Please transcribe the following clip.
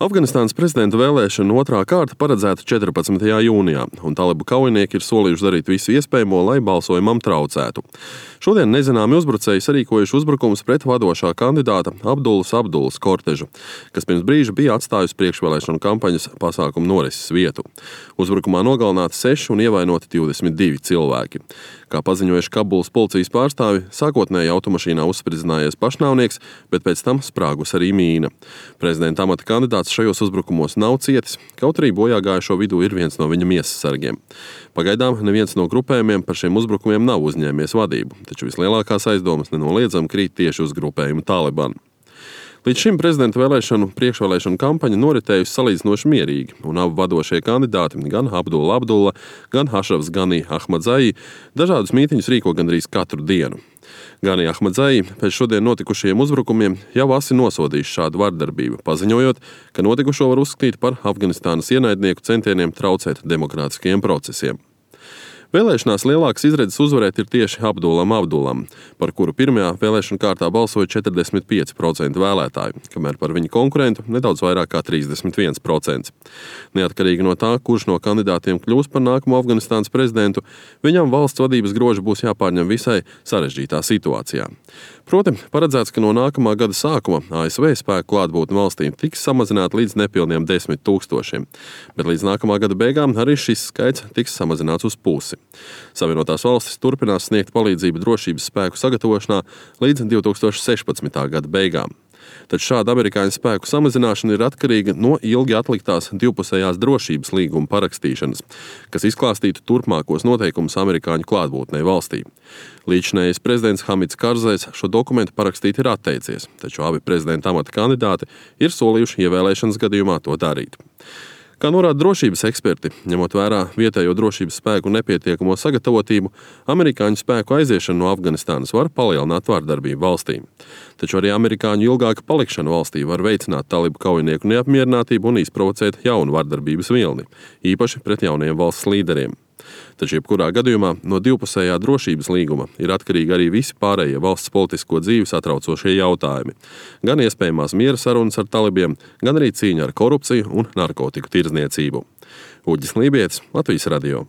Afganistānas prezidenta vēlēšanu otrā kārta paredzēta 14. jūnijā, un talibu kaujinieki ir solījuši darīt visu iespējamo, lai balsojumam traucētu. Šodien nezināmi uzbrucēji sarīkojuši uzbrukumus pret vadošā kandidāta Abdulas kortežu, kas pirms brīža bija atstājusi priekšvēlēšanu kampaņas pasākumu norises vietu. Uzbrukumā nogalināti 6 un ievainoti 22 cilvēki. Kā paziņojuši Kabulas policijas pārstāvi, sākotnēji automašīnā uzspridzinājies pašnāvnieks, bet pēc tam sprāgus arī mīna. Prezidenta amata kandidāts šajos uzbrukumos nav cietis, kaut arī bojāgājušo vidū ir viens no viņa miesasargiem. Pagaidām neviens no grupējumiem par šiem uzbrukumiem nav uzņēmies vadību, taču vislielākās aizdomas nenoliedzami krīt tieši uz grupējumu Taliban. Līdz šim prezidenta priekšvēlēšanu kampaņa noritējusi salīdzinoši mierīgi, un abi vadošie kandidāti, gan Abdulla, gan Hašrafs Gani Ahmadzai, dažādus mītiņus rīko gandrīz katru dienu. Gani Ahmadzai pēc šodien notikušajiem uzbrukumiem jau asi nosodījis šādu vardarbību, paziņojot, ka notikušo var uzskatīt par Afganistānas ienaidnieku centieniem traucēt demokrātiskajiem procesiem. Vēlēšanās lielākas izredzes uzvarēt ir tieši Abdulam, par kuru pirmajā vēlēšanu kārtā balsoja 45% vēlētāju, kamēr par viņa konkurentu nedaudz vairāk kā 31%. Neatkarīgi no tā, kurš no kandidātiem kļūs par nākamo Afganistānas prezidentu, viņam valsts vadības groži būs jāpārņem visai sarežģītā situācijā. Proti, paredzēts, ka no nākamā gada sākuma ASV spēku klātbūtne valstī tiks samazināta līdz nepilniem 10 000, bet līdz nākamā gada beigām arī šis skaits tiks samazināts uz pusi. Savienotās valstis turpinās sniegt palīdzību drošības spēku sagatavošanā līdz 2016. gada beigām. Taču šāda amerikāņu spēku samazināšana ir atkarīga no ilgi atliktās divpusējās drošības līguma parakstīšanas, kas izklāstītu turpmākos noteikumus amerikāņu klātbūtnei valstī. Līdzinējais prezidents Hamids Karzais šo dokumentu parakstīt ir atteicies, taču abi prezidenta amata kandidāti ir solījuši ievēlēšanas gadījumā to darīt. Kā norāda drošības eksperti, ņemot vērā vietējo drošības spēku nepietiekamo sagatavotību, amerikāņu spēku aiziešana no Afganistānas var palielināt vardarbību valstī. Taču arī amerikāņu ilgāka palikšana valstī var veicināt talibu kaujinieku neapmierinātību un izprovocēt jaunu vardarbības vilni, īpaši pret jauniem valsts līderiem. Taču jebkurā gadījumā no divpusējā drošības līguma ir atkarīgi arī visi pārējie valsts politisko dzīvi satraucošie jautājumi. Gan iespējamās miera sarunas ar talibiem, gan arī cīņa ar korupciju un narkotiku tirdzniecību. Uģis Lībietis, Latvijas radio.